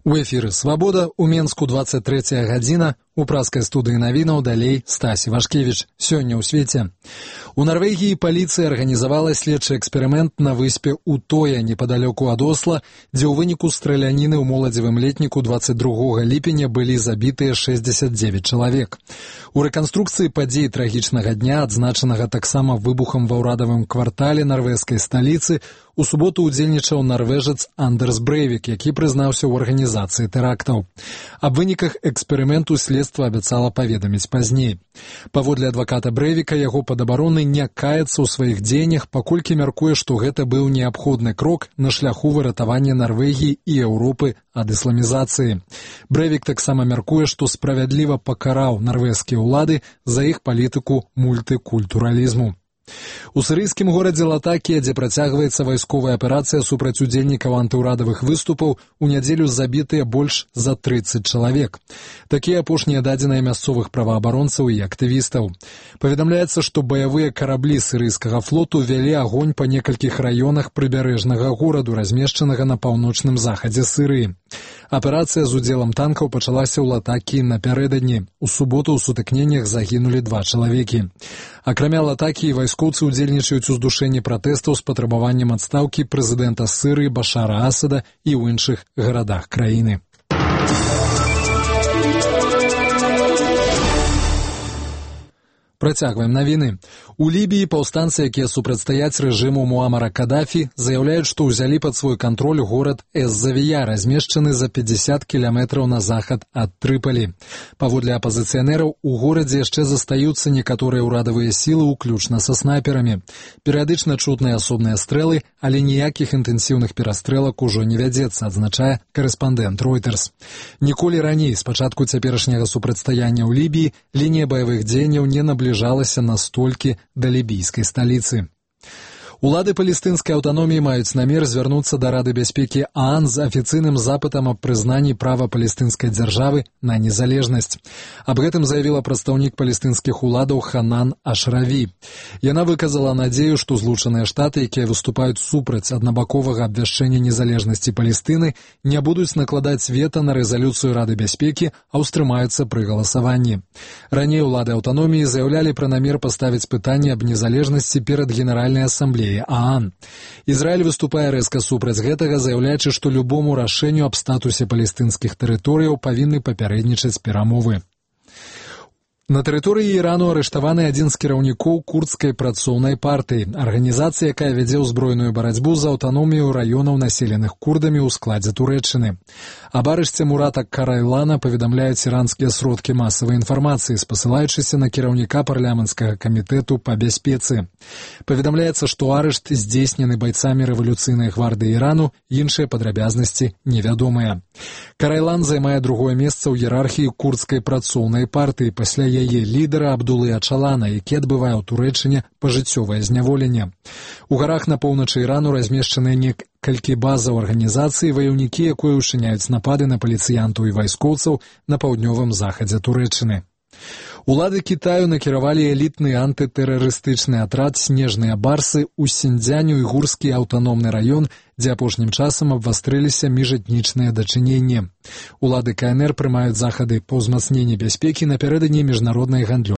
У эфіры «Свабода», у Менску 23 гадзіна, у праскай студыі навінаў далей Стась Івашкевіч. Сёння ў свеце. У Нарвегіі паліцыя арганізавала следчы эксперымент на выспе Утоя, непадалёку ад Осла, дзе ў выніку страляніны ў моладзевым летніку 22 ліпеня былі забітыя 69 чалавек. У рэканструкцыі падзей трагічнага дня, адзначанага таксама выбухам ва ўрадавым квартале нарвежскай сталіцы, у суботу ўдзельнічаў нарвежец Андерс Брейвік, які прызнаўся ў арганізацыі тэрактаў. Аб выніках эксперыменту следства абяцала паведаміць пазней. Паводле адваката Брейвіка, яго падабароны не каецца ў сваіх дзеяннях, паколькі мяркуе, што гэта быў неабходны крок на шляху выратавання Нарвегіі і Еўропы ад ісламізацыі. Брейвік таксама мяркуе, што справядліва пакараў нарвежскія ўлады за іх палітыку мультыкультуралізму. У сірыйскім горадзе Латакія, дзе працягваецца вайсковая аперацыя супраць удзельнікаў антыўрадавых выступаў, у нядзелю забітыя больш за 30 чалавек. Такія апошнія дадзеныя мясцовых праваабаронцаў і актывістаў. Паведамляецца, што баявыя караблі сірыйскага флоту вялі агонь па некалькіх раёнах прыбярэжнага гораду, размешчанага на паўночным захадзе Сірыі. Аперацыя з удзелам танкаў пачалася ў Латакіі напярэдадні. У суботу ў сутыкненнях загінулі 2 чалавекі. Акрамя Латакіі, вайскоўцы удзельнічаюць у здушэнні пратэстаў з патрабаваннем адстаўкі прэзідэнта Сірыі Башара Асада і ў іншых гарадах краіны. Працягваем навіны. У Лібіі паўстанцы, якія супрацьстаяць рэжыму Муамара Кадафі, заяўляюць, што ўзялі пад свой кантроль горад Эз-Завія, размешчаны за 50 кіламетраў на захад ад Трыпалі. Паводле апазіцыянераў, у горадзе яшчэ застаюцца некаторыя ўрадавыя сілы, уключна са снайперамі. Перыядычна чутныя асобныя стрэлы, але ніякіх інтэнсіўных перастрэлак ужо не вядзецца, адзначае карэспандэнт Reuters. Ніколі раней, з пачатку цяперашняга супрацьстаяння ў Лібіі, лінія баявых дзеянняў не набліжалася настолькі да лібійскай сталіцы. Улады палестынскай аўтаноміі маюць намер звярнуцца да Рады бяспекі ААН з афіцыйным запытам аб прызнанні права палестынскай дзяржавы на незалежнасць. Аб гэтым заявіла прадстаўнік палестынскіх уладаў Ханан Ашраві. Яна выказала надзею, што Злучаныя Штаты, якія выступаюць супраць аднабаковага абвяшчэння незалежнасці Палестыны, не будуць накладаць вета на рэзалюцыю Рады бяспекі, а ўстрымаюцца пры галасаванні. Раней улады аўтаноміі заяўлялі пра намер паставіць пытанне аб незалежнасці перад Генеральнай асамблеяй ААН. Ізраіль выступае рэзка супраць гэтага, заяўляючы, што любому рашэнню аб статусе палестынскіх тэрыторыяў павінны папярэднічаць перамовы. На тэрыторыі Ірану арыштаваны адзін з кіраўнікоў курдскай працоўнай партыі, арганізацыі, якая вядзе ўзброеную барацьбу за аўтаномію раёнаў, населеных курдамі ў складзе Турэччыны. Аб арышце Мурата Карайлана паведамляюць іранскія сродкі масавай інфармацыі, спасылаючыся на кіраўніка парламенцкага камітэту па бяспецы. Паведамляецца, што арышт здзейснены байцамі рэвалюцыйнай гвардыі Ірану, іншыя падрабязнасці невядомыя. Карайлан займае другое месца ў іерархіі курдскай працоўнай партыі пасля яе лідара Абдулы Ачалана, які адбывае ў Турэччыне пажыццёвае зняволенне. У гарах на поўначы Ірану размешчаныя некалькі базаў арганізацыі, ваяўнікі, якія ўчыняюць напады на паліцыянтаў і вайскоўцаў на паўднёвым захадзе Турэччыны. Улады Кітаю накіравалі элітны антытэрарыстычны атрад «Снежныя барсы» ў Сіньцзянь-Уйгурскі аўтаномны раён, дзе апошнім часам абвастрыліся міжэтнічныя дачыненні. Улады КНР прымаюць захады па ўзмацненні бяспекі напярэдадні міжнароднай гандлёвай